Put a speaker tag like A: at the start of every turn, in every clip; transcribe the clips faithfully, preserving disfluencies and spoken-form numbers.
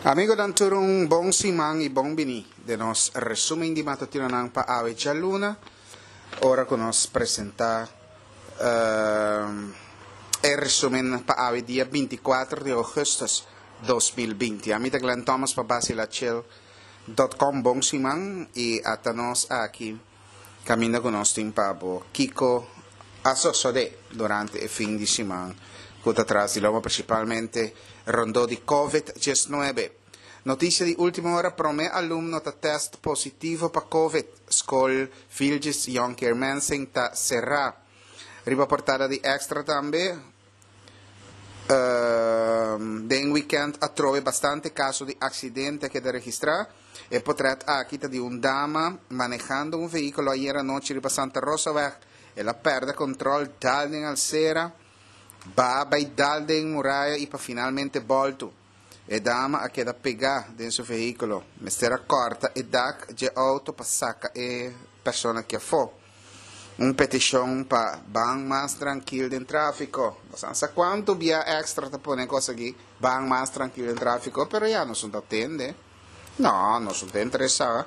A: Amigonan tur un bon siman y bon bini den nos resumen di matutinonan pa awe djaluna ora cu nos presenta e resumen pa awe dia binti kuater di augustus dos mil binti. Ami ta Glenn Thomas pa Basilachel dot com. Bon siman y ata nos aki caminda cu nos tin pa bo kico a sosode durante e fin di siman cu ta tras di loma, principalmente rondó di Covid diesnuebe. Noticia di ultima ora, prome alumno ta test positivo pa Covid. Skol Vilgis Jonker Mensing ta será. Riba portada di Extra tambe, den weekend atrobe bastante caso di accidente a keda registra. E potret aki ta di un dama manehando un vehiculo ayer anochi riba Santa Rosaweg. El a perde control, dal den alcera, ba bay dal den muraya y pa finalmente bolto. E dama a keda pega den su vehiculo. Mester a corta e dak dje auto pa saca e persona ki afo. Un peticion pa ban mas trankil den trafico. Bosan sa cuanto bia Extra ta pone cos aki, ban mas trankil den trafico, pero ya nos no ta tende. No, nos no ta interesa.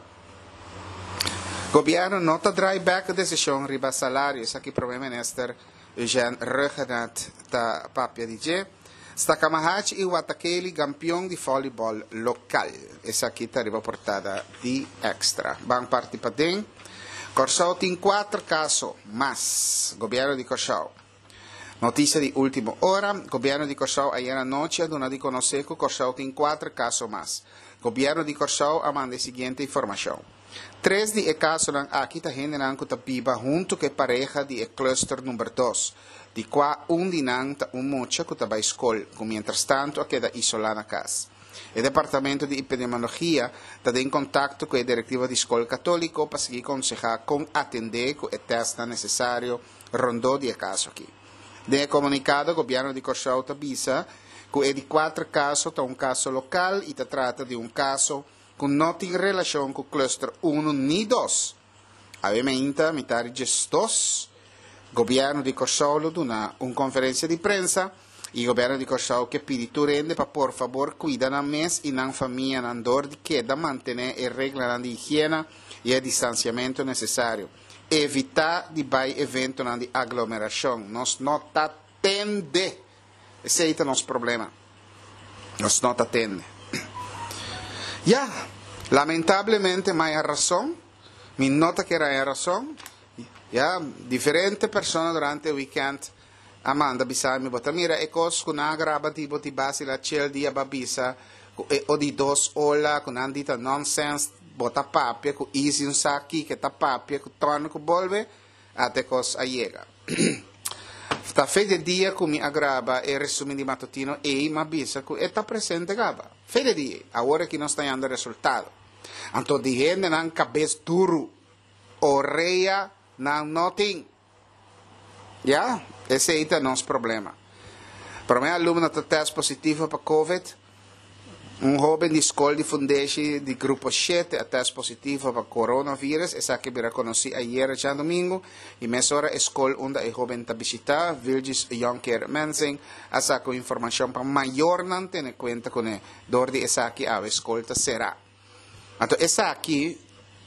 A: Gobierno no ta draai bek e decision riba salario, esaki Prome Minister Eugène Rhuggenaath ta papia di dje. Stakamahachi i Watakeli gampion di volleyball lokal. Esaki ta riba portada di Extra. Ban parti paden. Kòrsou tin kuater kaso mas. Gobièrnu di Kòrsou. Notisia di último ora, Gobièrnu di Kòrsou ayera anochi a duna di konosé ku Kòrsou tin kuater kaso mas. Gobièrnu di Kòrsou a manda e siguiente informashon. Tres di e kasonan aki ta hendenan ku ta biba huntu ku e pareha di e cluster number dos, di kua un di nan ta un mucha ku ta bai skol, ku mientrastantu a keda isolá na kas. E departamento di epidemiologia ta den kontakto ku e direktiva di skol katóliko pa sigui konsehá kon atendé ku e tèstnan nesesario rondó di e kaso aki. Den e komunikado gobièrnu di Kòrsou ta bisa ku e di kuater kaso ta un kaso lokal i ta trata di un kaso ku no tin relashon ku cluster unu ni dos. Awe meinta mitad di diesdos, Gobièrnu di Kòrsou lo duna un konferensia di prensa i Gobièrnu di Kòrsou ke pidi tur hende pa por fabor kuida nan mes i nan famianan dor di keda mantené e reglanan di higiena i e distansiamentu nesesario. Evitá di bai eventonan di aglomerashon. Nos no ta tende! Esei ta nos problema. Nos no ta tende. Ya, lamentablemente maya rason, mi no ta kere haya rason. Ya, diferente persona durante e weekend a manda bisa mi, bo ta mira e kos ku nan a graba di bo di base la chel dia ba bisa ku e o di dos ola ku nan di ta nonsense, bo ta papia ku Izzy un sa kiko ta papia ku Tony ku bolbe, ata e kos a yega. Ta fe de dia ku mi a graba e resumen di matutino ei m'a bisa ku e ta presente kaba. Fe de dia ei. Awor aki nos ta yanda resultado. Anto di hendenan kabes duru, orea nan no tin. Ya, esei ta nos problema. Prome alumno ta test positivo pa covid. Un hoben di skol di fundeshi di grupo shete a test positivo pa coronavirus. Esaki a bira konosí ayera djadumingu i mesora e skol unda e hoben ta bishitá, Vilgis Jonker Mensing, a saka un informashon pa mayornan tene kuenta kuné. Dor di esaki awe skol ta será. Anto esaki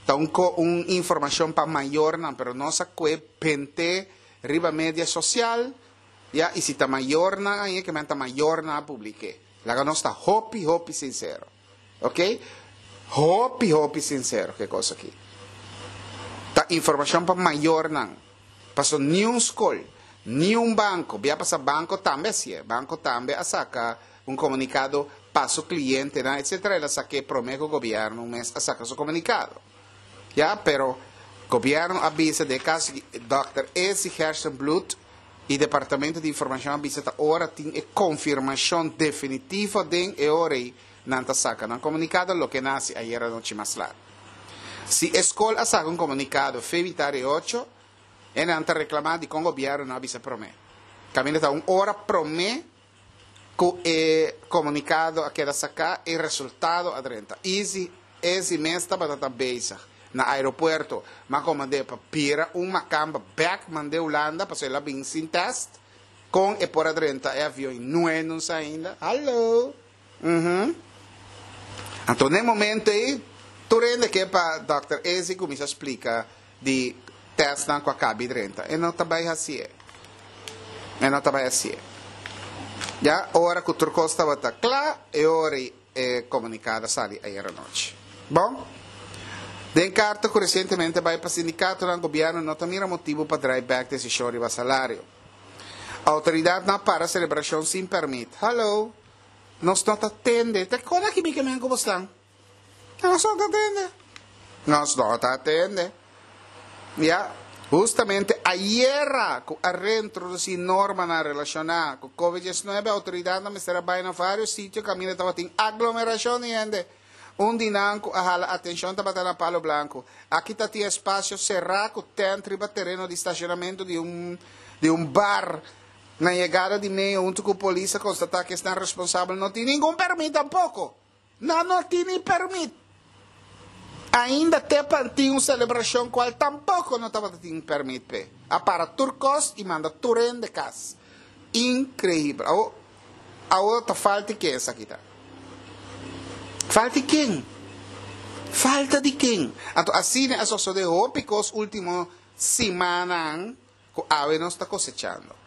A: ta un un informashon pa mayornan pero nos a kue bent'é riba media sosial ya i si ta mayornan aña ke men ta mayornan a publik'é. Laga nos ta hopi hopi sincero. Ok? Hopi hopi sincero ke kos aki. Ta informacion pa mayornan. Paso ni un skol, ni un banco, bia pasa banco tambe hacié. Banco tambe a saca un comunicado pa su clientenan etcetera. El a saqué prome cu gobierno mes a saca su comunicado. Ya, pero gobierno a bisa den e caso aki Dòkter Ezi Gerstenbluth E Departamento di Informacion a bisa ta ora tin e confirmacion definitivo den e ora ei nan ta saca nan comunicado loke nan haci ayer anochi mas lat. Si e scol a saca un comunicado fe mitad di ocho e nan ta reclama dicon gobierno no a bisa prome. Caminda ta un ora prome cu e comunicado a keda saca e resultado a drenta. Easy Ezi mes tabata ta bezig na aeropuerto, ma komand'é pa bira un makamba bek mand'é Hulanda pasobra el a bin sin test. Kon e por a drenta e avion i nue nun sa ainda? Hallo! Uhum. Anto, na e momento ei, tur hende ke pa Dòkter Ezi kuminsá splika di tèstnan ku a kaba di drenta. E no ta bai hasié. E no ta bai hasié. Ya, ora ku tur kos tabata kla, e ora e komunikado a sali ayera nochi. Bon, den karta ku resientemente bai pa sindikatonan, gobièrnu no ta mira motibu pa drai bèk desishon riba salario. Outoridatnan a para selebrashon sin pèrmit. Hallo! Nos no ta tende. Ta kon aki mi ke men ku bo stan? Nos no ta tende. Nos no ta tende. Ya, hustamente ayera ku a reintrodusí normanan relashoná ku Covid diesnuebe, outoridatnan mester a bai na vários sitio kaminda tabatin aglomerashon di hende. Un di nan ku a hala atenshon tabata na Palo Blanco. Aki ta tin espasio será ku tènt riba tereno di stashonamentu di un di un bar. Na yegada di meo huntu ku polis a konstatá ku esnan responsabel no tin ningun pèrmit tampoko. Nan no tin ni pèrmit. Ainda te pa tin un selebrashon kual tampoko no tabata tin pèrmit p'e. A para tur kos i manda tur hende kas. Inkreibel. Awo, awo ta falta di ken esaki ta? Falta di ken? Falta di ken? Anto asina a sosodé hopi kos último simannan ku awe nos ta kosechando.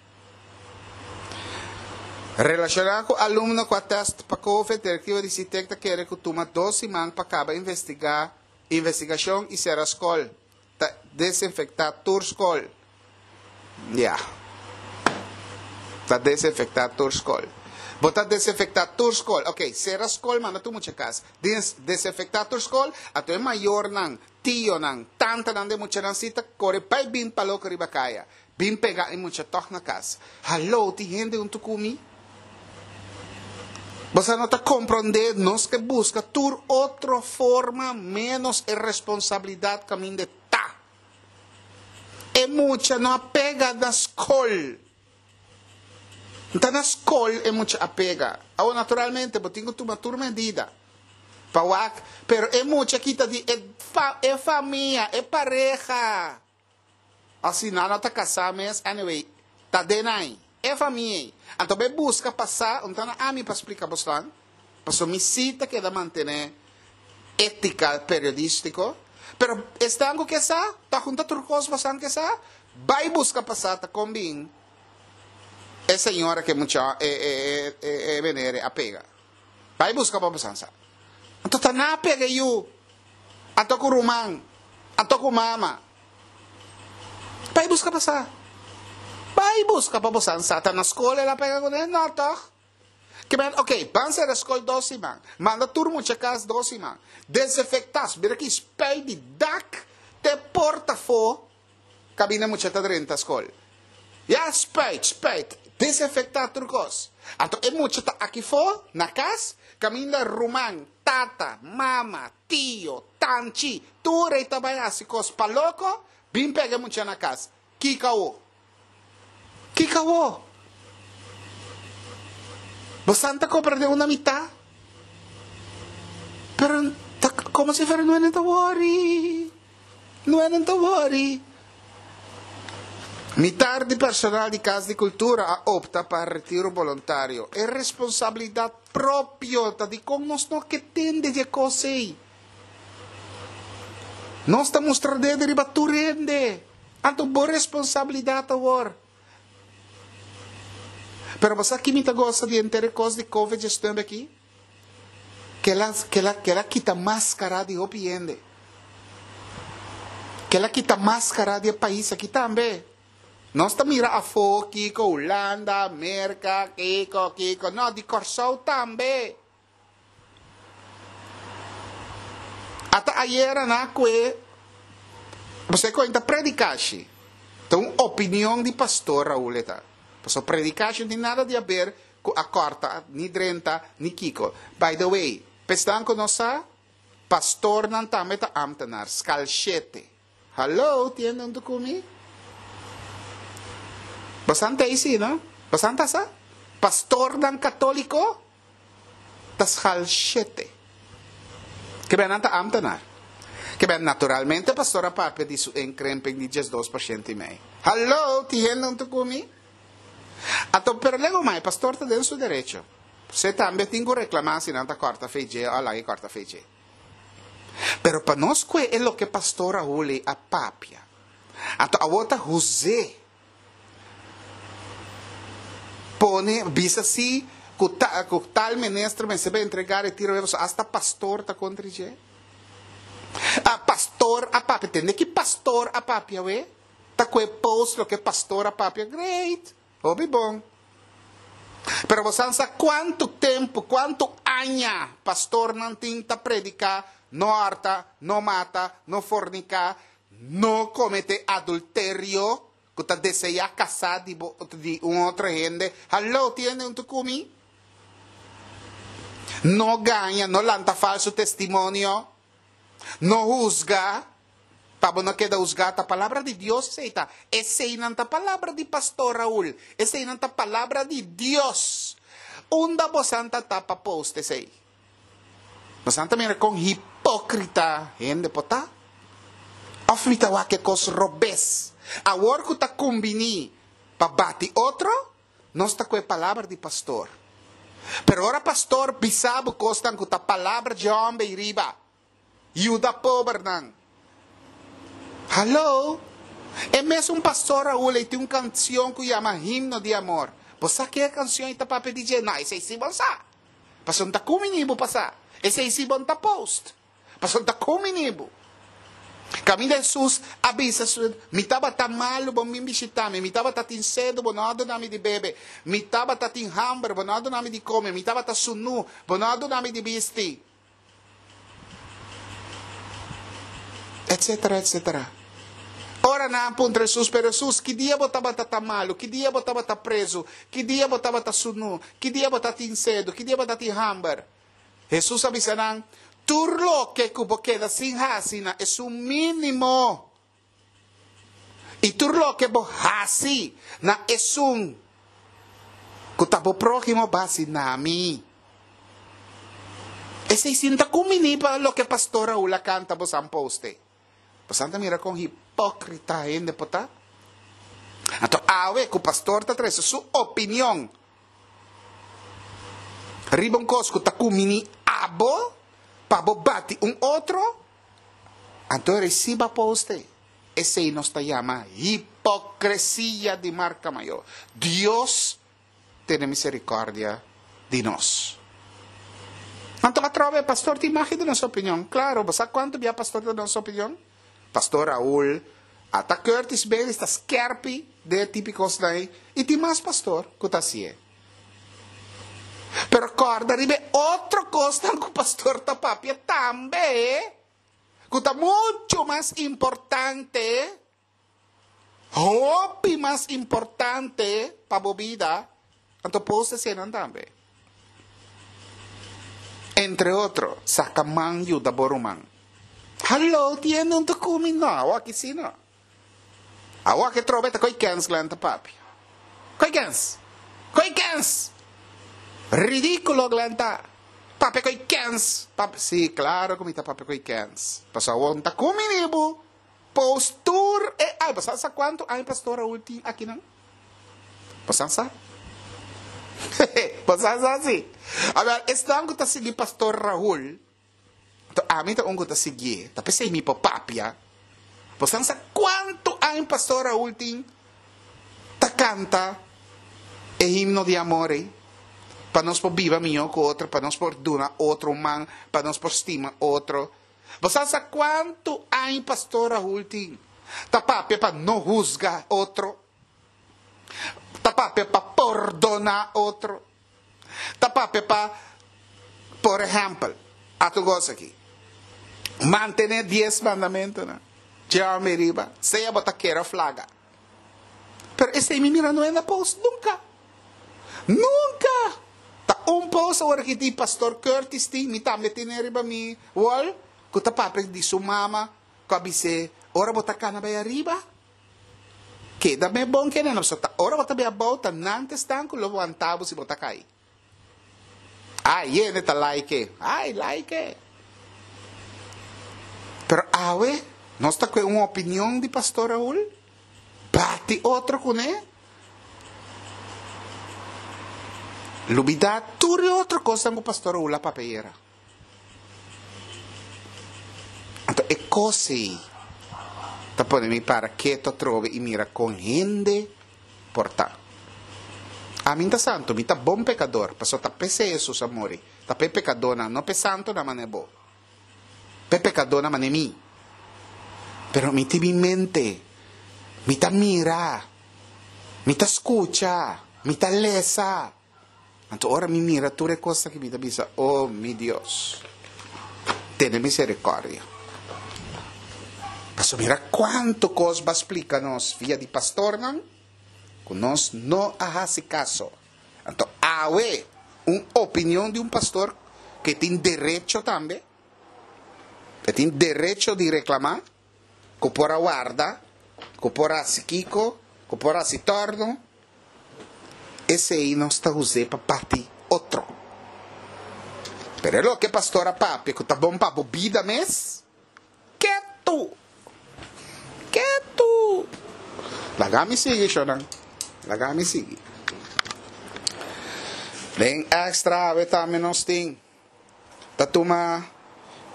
A: Relashoná ku alumno ku a tèst pa Covid, direktiva di SITEK ta kere ku tuma dos siman pa kaba investigá investigashon i sera skol. Ta desinfektá tur skol. Ya. Ta desinfektá tur skol. Bo ta desinfektá tur skol. Oké, sera skol manda tur mucha kas. Desinfektá tur skol, anto e mayornan, tionan, tantanan di e muchanan si ta kore bai bin pa loko riba kaya. Bin pega e mucha tòg na kas. Hallo, tin hende huntu ku mi? Boso no ta komprondé, nos ke buska tur otro forma ménos e responsabilidat kaminda e ta. E mucha no a pega na skol. N ta na skol e mucha a pega. Awor, naturalmente, bo tin ku tuma tur medida pa wak, pero e mucha kita di e e famia, e pareha. Asina nan no ta kasá mes, anyway, ta den ai, e famia ei. Anto bo e buska pa sa, un ta na ami pa splika bosnan, pasobra mi sí ta keda mantené étika periodístiko, pero esnan ku ke sa, ta hunta tur kos bosnan ke sa, bai buska pa sa ta kon bin e señora ku e mucha e e e e menere a pega. Bai buska pa bosnan sa. Anto ta nan a pega e yu, anto ku ruman, anto ku mama. Bai buska pa sa. Bai buska pa bo san sa. Ta na skol el a pega kuné? No tòg? Ke men, oke, ban sera skol dos siman. Manda tur mucha kas dos siman. Desinfektá. Mira ki spuit di dak te porta afó kabinda mucha ta drenta skol. Ya, spuit, spuit. Desinfektá tur kos. Anto e mucha ta aki afó, na kas, kaminda ruman, tata, mama, tio, tanchi, tur ei ta bai hasi kos pa loko. Bin pega e mucha na kas. Kiko awo? Kiko awo? Bo san ta comprende una mitá? Pero ta como si fuera no ta worry. No ta worry. Mitar di personal di Kas di Kultura a opta pa retiro boluntario. E responsabilidat propio ta dikon nos no ke tende di e kos ei. Nos ta mustra dedo riba tur hende. Anto bo responsabilidat awor. Pero bo sa ki mi ta gosa di henter e kos di Covid diesnuebe aki? Kel a, kel a, kel a kita maskara di hopi hende. Kel a kita maskara di e pais aki tambe. Nos ta mira afó kiko Hulanda, Merka, kiko, kiko. No, di Kòrsou tambe. Ata ayera na kue pasobra e koin ta predikashi. Ta un opinion di pastor Raul e ta. Pasobra predikashi no tin nada di haber ku a kòrta, ni drenta, ni kiko. By the way, p'esnan ku no sa, pastornan tambe ta ámtenar, skal shete. Hallo, tiende huntu ku mi? Bosan ta ei si, no? Bosan ta sa? Pastornan katóliko ta schal shete. Ke ben nan ta ambtenaar. Ke ben naturalmente pastor a papia di su inkrimping di diesdos por shento i mei. Hallo, tin hende huntu ku mi? Anto, pero lego mai, pastor ta den su derecho. Bo tambe tin ku reklamá si nan ta kòrta for di dje, òf laga kòrta for di dje. Pero pa nos kue e loke pastor Raul a papia. Anto awor ta José pone bisa si ku ta, ku tal minister mester entregá retiro, hasta pastor ta kontra dje. A pastor a papia, tende ku pastor a papia we? Ta kue post loke pastor a papia, great. Hopi bon. Pero bo sa kuantu tempu, kuantu aña pastornan tin ta prediká, no hòrta, no mata, no forniká, no kometé adulterio, ku ta deseá kasa di, di un otro hende. Hallo, tende un ku mi? No gaña, no lanta falso testimonio, no husga, pa no keda husgá. E palabra di Dios esei ta. Esei no ta palabra di pastor Raul. Esei no ta palabra di Dios. Unda bo ta pa post esei. Bo ta mira kon hipókrita hende por ta? Òf mi ta wak kos robes. Awor ku ta kumbiní pa bati otro, nos ta ku e palabra di pastor. Pero ora pastor bisa bo kos ku ta palabra di hòmber riba. Yuda pobernan. Hallo? E mesun pastor Raul tin un kansion ku yama Himno di Amor. Bo sa ki e kansion ta papia di dje? No, esei si bo sa. Paso n' ta kumbiní bo pa sa. Esei si bo n' ta post. Paso n' ta kumbiní bo. Kaminda Jesus a bisa, mi tabata malu, bo n' bin bishitá mi, mi tabata tin sedu, bo no a duna mi di bebe, mi tabata tin hamber, bo no a duna mi di kome, mi tabata sunú, bo no a duna mi di bisti. Etcétera, etcétera. Ora nan a puntra Jesus, pero Jesus, ki dia bo tabata malu, ki dia bo tabata prezu, ki dia bo tabata sunú, ki dia bo tatin sedu, ki dia bo tatin hamber. Jesus a bisa nan, tur loke ku bo keda sin hasi na esun mínimo. I tur loke bo hasi na esun ku ta bo próhimo, b'a hasi na mi. Esei si n' ta kumbiní pa loke pastor Raul a kanta bo a post. Bo ta mira kon hipókrita hende por ta. Anto, awe ku pastor ta trese su opinion. Riba un kos ku ta kumbiní abo pa bo bati un otro. Anto risiba post. Esei nos ta yama hipokresia di marka mayó. Dios tene miserikòrdia di nos. Anto, atrobe, pastor tin mag di duna su opinion. Klaro, bo sa kuantu bia pastor ta duna su opinion? Pastor Raul, ata Curtis Bailey ta skèrpi den típiko ei, i tin mas pastor ku ta hasié. Pero kòrda riba otro kos ku pastor ta papia tambe, ku ta muchu mas importante, hopi mas importante pa bo bida, anto post eseinan tambe. Entre otro, saka man yuda bo ruman. Hallo, tende un ku mi no, aki si no. Awor aki trobe ta koi kens Glenn ta papia. Koi kens. Koi kens. Ridíkulo Glenn ta. Papia koi kens. Papia, si, klaro ku mi ta papia koi kens. Paso awor n' ta kumbiní bo. Post tur e ai, bo sa kuantu aña pastor Raul tin akinan? Bo sa? Bo sa si. Awor, esnan ku ta sigui pastor Raul. Anto, ami ta un ku ta sigui, ta p'esei mi por papia. Bo sa kuantu aña pastor Raul tin ta kanta e Himno di Amor, eh? Pa nos por biba mihó ku otro, pa nos por duna otro man, pa nos por stima otro. Bo sa kuantu aña pastor Raul tin ta papia pa no husga otro. Ta papia pa pordoná otro. Ta papia pa, por ehèmpel, ata kos aki. Mantené dies mandamentunan. Djami riba, sea bo ta kere òf laga. Pero esei mi mira no a post nunka. Nunka. Ta un post awor ku di pastor Curtis tin, mi tambe tin riba mi wall, ku ta papia di su mama, ku a bis'é, ora bo ta kana bai ariba, keda me bon ku no ta ora bo ta bai abou, ta nan ta esnan ku lo wanta bo si bo ta kai. Ai, hende ta like. Ai, like. Pero awe, nos ta ku un opinion di pastor Raul, bati otro kuné. Lubidá tur e otro kosnan ku pastor a hula papia ayera. Anto e kos ei ta pone mi para ketu atrobe i mira kon hende por ta. Ami ta santu, mi ta bon pekador, pasobra ta p'esei Hesus a muri, ta p'e pekadónan, no p'e santunan manera bo, p'e pekadónan manera mi. Pero mi tin mi mente, mi ta mira, mi ta skucha, mi ta lesa. Anto ora mi mira tur e kos aki mi ta bisa, O mi Dios, tene miserikòrdia. Pasobra mira kuantu kos bo a splika nos via di pastornan ku nos no a hasi kaso. Anto awe un opinion di un pastor ke tin derecho tambe, e tin derecho di reklamá, ku por a warda, ku por hasi kiko, ku por hasi tòrno, esei nos ta us'é pa bati otro. Pero e loke pastor a papia ku ta bon pa bo bida mes, ketu! Ketu! Laga mi sigui, shonnan. Laga mi sigui. Den extra awe tambe nos tin ta tuma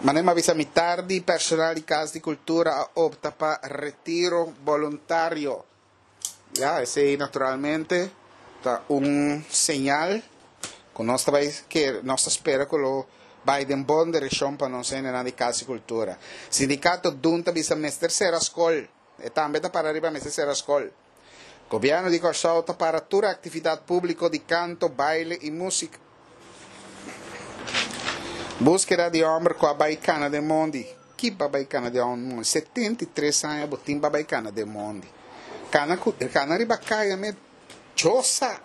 A: manera mi a bisa mitar di personal di Cas di Cultura a opta pa retiro boluntario. Ya, esei naturalmente ta un señal ku nos ta bai ke nos ta spera ku lo bai den bon direkshon pa nos hendenan di Kas di Kultura. Sindikato dun ta bisa mester sera skol. E tambe ta para riba mester sera skol. Gobièrnu di Kòrsou ta para tur aktividat públiko di kanto, baile i músika. Búskeda di hòmber ku a bai kana den mondi. Ki ba bai kana den mondi? Setenta i tres aña bo tin ba bai kana den mondi. Kana ku kana riba kaya me chosa.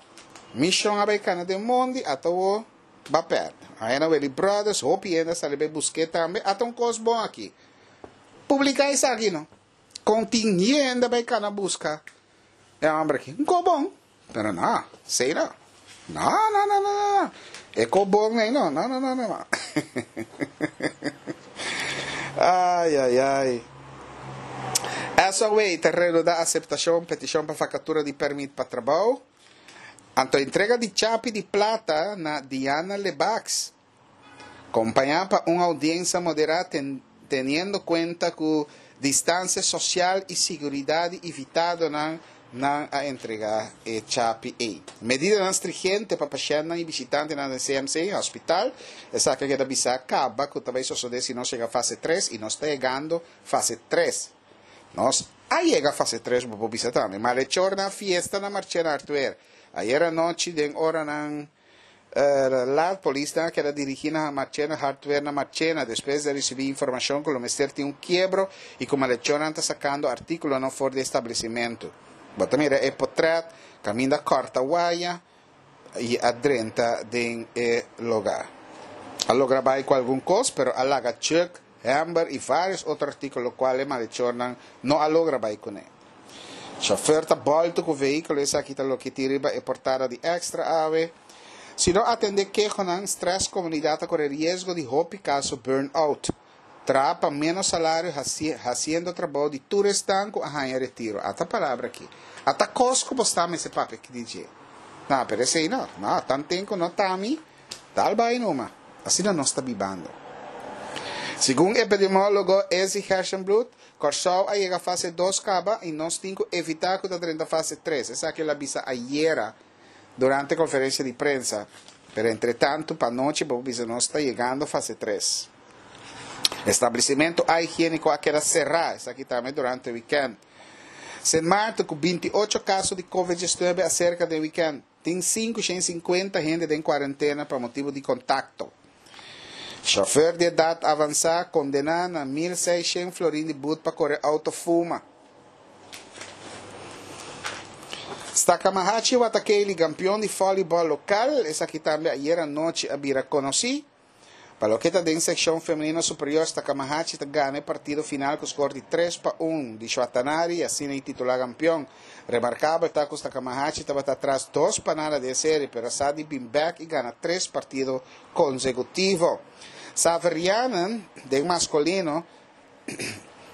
A: Mishon a bai kana den mondi ata wo ba pèrdè. Aena Willy Brothers hopi hende a sali bai busk'é tambe. Ata un kos bon aki. Publiká esaki no. Kon tin hende bai kana buska e hòmber aki? Un kos bon. Pero no, esei no. No, no, no, no, no. E kos bon ei no. No, no, no, no, no. Ai, ai, ai. S O W ta reanudá aseptashon petishon pa vakatura di pèrmit pa trabou. Anto entrega di chapi di plata na Diana Lebacs. Kompañá pa un oudiensa moderá teniendo kuenta ku distansia sosial i siguridat di invitadonan, nan a entregá e chapi ei. Medidanan strigente pa pashèntnan i bishitantenan den C M C, hospital. Esaki a keda bisá kaba ku ta bai sosodé si nos yega fase tres i nos ta yegando fase tres. Nos a yega fase tres bo por bisa tambe. Malechornan a fiesta na Marchena Artwer. Ayer anochi den oranan Laat polisnan a keda dirigí na Marchena Hardware na Marchena despues di a risibí informashon ku lo mester tin un kiebro i ku malechornan ta sakando artíkulonan for di e establesimentu. Bo ta mira e potrèt kaminda kòrta waya i a drenta den e lugá. A logra bai ku algun kos pero a laga chuk, hèmber i vários otro artíkulo kual e malechornan no a logra bai kuné. Chauffeur ta bòltu ku vehíkulo esaki ta loke tin riba e portada di Extra awe. Si no atendé kehonan, strès komunidat ta kore riesgo di hopi kaso burn-out. Traha pa ménos salario hasiendo trabou di tur esnan ku a haña retiro. Ata palabra aki. Ata kos ku bo sta mester papia di dje. Na, pero esei no. No, tanten ku no ta mi, dal bai numa. Asina nos ta bibando. Segun epidemiólogo Ezzy Gerstenbluth, Kòrsou a yega fase dos kaba i nos tin ku evitá ku ta drenta fase tres. Esaki el a bisa ayera durante konferensia di prensa. Pero entretantu pa anochi bo por bisa nos ta yegando fase tres. Establesimentu ahigiéniko a keda será, esaki tambe durante wikènt. Sint Maarten ku binti ocho kaso di covid diesnuebe aserka den wikènt. Tin sinku shen sinkuenta hende den kuarentena pa motibu di kontakto. Shòfer di edat avansá kondená na mil seis shen florin di but pa kore outo fuma. Stakamahachi Watakeli kampion di vòlibòl lokal, esaki tambe ayera anochi a bira konosí. Pa loke ta den sekshon femenino superior Stakamahachi ta gana e partido final ku skor di tres pa un di Shuatanari i asina i titulá kampion. Remarkabel ta ku Stakamahachi tabata atras dos pa nada den e seri pero a sa di bin bèk i gana tres partido konsekutivo. Saverianen den maskulino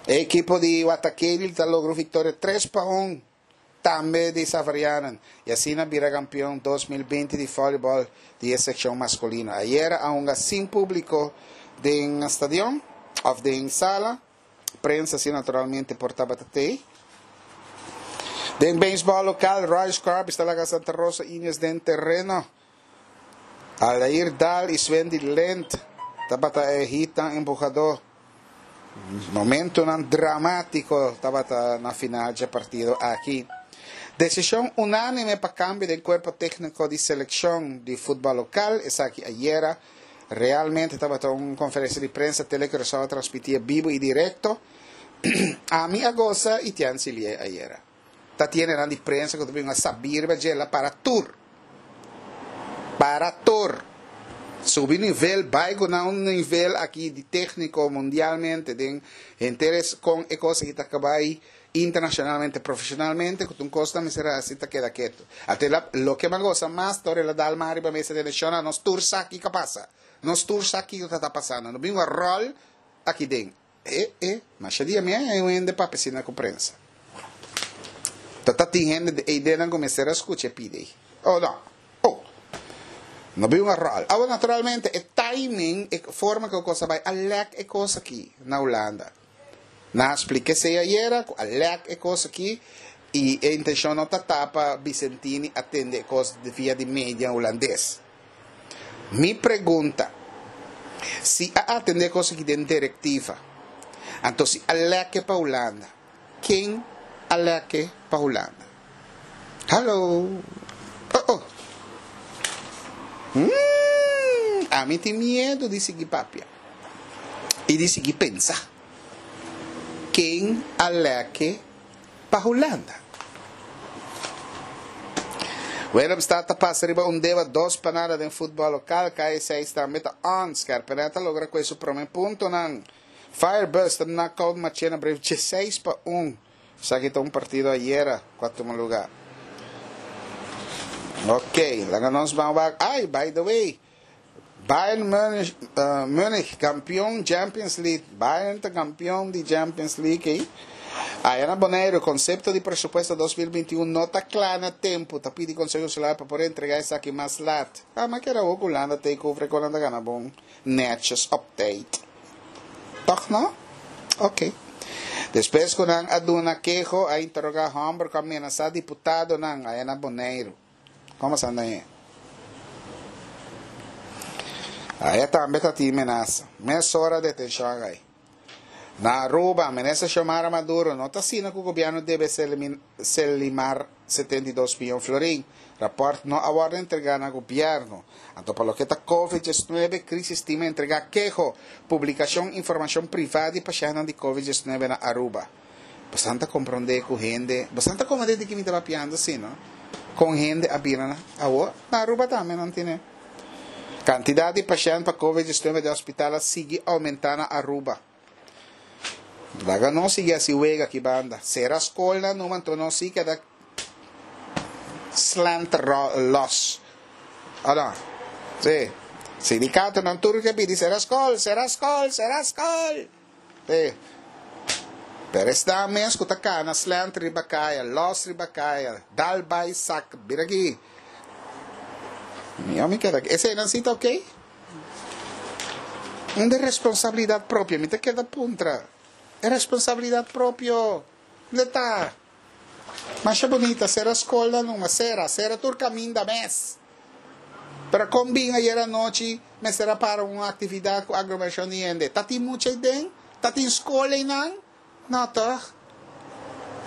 A: e ekipo di Watakeli ta logra un viktoria tres pa un. Tambe di Xaverianen. I asina bira kampeon dos mil binti di vòlibòl di e sekshon maskulino. Ayera a hunga sin públiko den stadion òf den sala. Prensa si naturalmente por tabata tei. Den beisbòl lokal, Roy Scorpions ta laga Santa Rosa Indians den tereno. Aldair Daal i Swendy Lint tabata e hitnan empuhadó. Momentonan dramátiko tabata na final dje partido aki. Desishon unánime pa kambio den kuerpo tékniko di selekshon di futbòl lokal. Esaki ayera realmente tabata un konferensia di prensa Tele Curaçao a transmití bibu i direkto. Ami a gosa i Tian Silié ayera. Ta tiene di prensa ku ta bin a sabir riba dje la para tur. Para tur. Subi nivel, bai ku na un nivel aki di tékniko mundialmente den henter kon e kos aki ta kabai internashonalmente, profeshonalmente, ku ta un kos ta mester hasi ta keda ketu. Ate la loke mi a gosa mas ta ora el a dal man riba mesa di eleshon, nos tur sa kiko a pasa. Nos tur sa kiko ta ta pasando. No bin un ròl aki den. E, e, masha dia mi a haña un hende papia asina ku prensa. Ta ta tin hende de eidenan ku mester a skucha e pidi ei. Oh no. Oh. No bin un ròl. Awor naturalmente e timing, e forma ku e kos a bai a lèk e kos aki na Hulanda. Nan a splika esei ayera ku a lèk e kos aki i e intenshon no ta ta pa Bicentini a tende e kos via di media hulandes. Mi pregunta, si a atende e kos aki den direktiva, anto si a lèk e pa Hulanda, ken a lèk e pa Hulanda? Hallo! Oh oh! Umm! Ami tin miedu di sigui papia i di sigui pensa. Ken a lèk e pa Hulanda? Willemstad ta pasa riba un deba dos pa nada den futbòl lokal. K seis tambe ta on. Skerpenet ta logra kue su promé puntonan. Firebirds ta knockout Machena Brave dieseis pa un. Esaki ta un partido ayera ku a tuma lugá. Ok, laga nos ban wak. Ai, by the way, Bayern Munich, uh, Munich kampeon Champions League. Bayern ta kampeon di Champions League ei. Aya na Boneiru, konsepto di presupuesto dos mil binti un no ta kla na tempu. Ta pidi Konseho Insular pa por entregá esaki mas lat. Ah, ma kera awor ku Hulanda take over e konan ta gana bon netjes op tijd. Tòg no? Ok. Despues ku nan a duna keho, a interogá hòmber ku a menasá diputadonan aya na Boneiru. Komo sa anda e? Aya tambe ta tin menasa. Mesora detenshon a kai. Na Aruba, Minister Xiomara Maduro no ta asina ku gobièrnu debe Selimar setenta i dos miyon florin. Rapòrt no a wòrdu entregá na gobièrnu. Anto pa loke ta Covid diesnuebe, Crisis Team a entregá keho, publikashon informashon privá di pashèntnan di Covid diesnuebe na Aruba. Bosan ta komprondé ku hende, bosan ta komprondé di ki mi ta papiando si no? Kon hende a bira na awor? Na Aruba tambe nan tene. Kantidat di pashènt pa Covid diesnuebe den hospital a sigui oumentá na Aruba. Laga nos sigui hasi wega aki banda. Sera skolnan numa anto nos si keda slanter los. O no? Si. Sindikatonan tur ke pidi sera skol, sera skol, sera skol. Si. Pero esnan mes ku ta kana slanter riba kaya, los riba kaya, dal bai sak, bira aki. Mi keda aki. Eseinan si ta oke? Unda e responsabilidat propio? Mi ta keda puntra. E responsabilidat propio, unda ta? Masha bunita, sera skolnan numa, sera, sera tur kaminda mes. Pero kon bin ayer anochi mester a para un aktividat ku aglomerashon di hende? Ta tin mucha ei den? Ta tin skol einan? No tòg?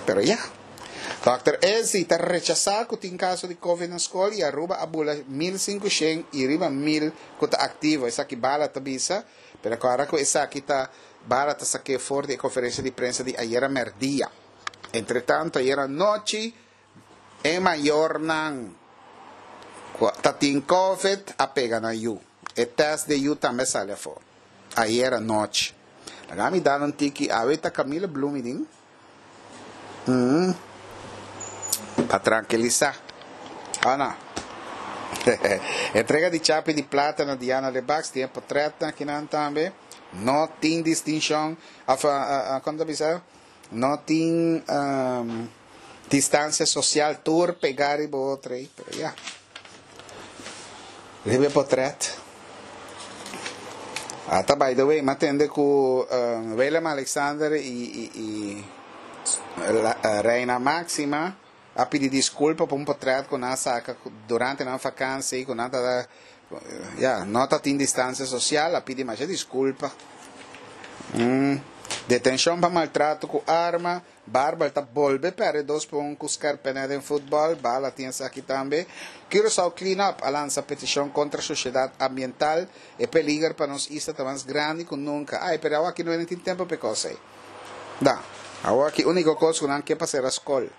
A: Pero ya. Dòkter Ezzy ta rechasá ku tin kaso di Covid na skol i Aruba a bula mil sinkushen i riba mil ku ta aktivo. Esaki Bala ta bisa, pero kòrda ku esaki ta Bala ta sak'é for di e konferensia di prensa di ayera mèrdia. Entretanto ayera nochi e mayornan ku ta tin Covid a pega nan yu. E tèst di e yu tambe a sali afó ayera nochi. Laga mi dal un tiki awe ta Camila Bloemiding. Mm. Pa tranquilisa. Oh no. Entrega di chapi di plata na Diana Lebacs tin e potretnan akinan tambe. No tin distincion of uh, uh, kon ta bisa? No tin um, Distansia sosial tur pegá riba otro ei, pero ya. Riba e potrèt. Ata by the way, m'a tende ku uh, Willem Alexander i, i, i la, uh, Reina Maxima a pidi diskulpa pa un potrèt ku nan a saka durante nan vakansi ku nan ta ya no ta tin distansia sosial a pidi masha diskulpa. Mm. Detenshon pa maltrato ku arma, Barbal ta bolbe perde dos pa un ku Skerpene den futbòl, Bala tin esaki tambe. Curaçao Clean Up a lansa petishon kontra shoshedat ambiental, e peliger pa nos isla ta mas grandi ku nunka. Ai, pero awor aki no tin tempu pa e kos ei. Da, awor aki úniko kos ku nan ke pa sera skol.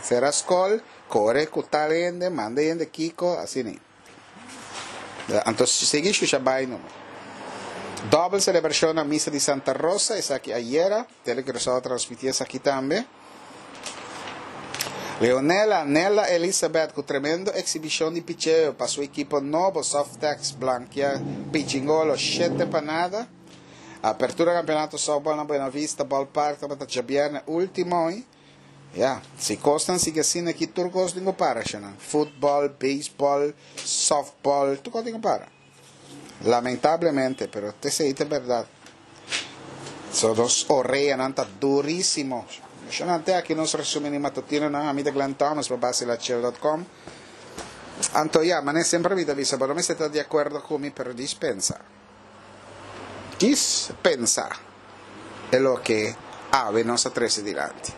A: Sera skol, kore ku tal hende, manda hende kiko, asina. Anto sigui shusha bai numa. Dòbel selebrashon na Misa di Santa Rosa, esaki ayera. Tele Curaçao a transmití esaki tambe. Leonela Nella Elizabeth ku tremendo eksibishon di picheo pa su ekipo nobo Softex blankia Pichingolo shete pa nada. Apertura kampeonato softball na Buena Vista Ballpark tabata djabièrnè último. Ya, si kosnan sigui asina aki tur kos tin ku para shanan. Futbòl, beisbòl, sòftbòl, tur kos tin ku para. Lamentablemente, pero t'esei ta bèrdat. So nos oreanan ta durísimo. Shanan te aki nos resumen di matutinonan. Ami ta Glenn Thomas pa Basilachel dot com. Anto ya, manera semper mi ta bisa, bo no mester ta di akuerdo ku mi, pero dispensa. Kis pensa e loke awe nos a trese dilanti.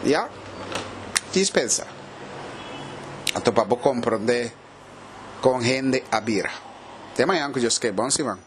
A: Ya, kis pensa. Anto pa bo komprondé kon hende a bira. Te mañan ku Dios ke. Bon siman.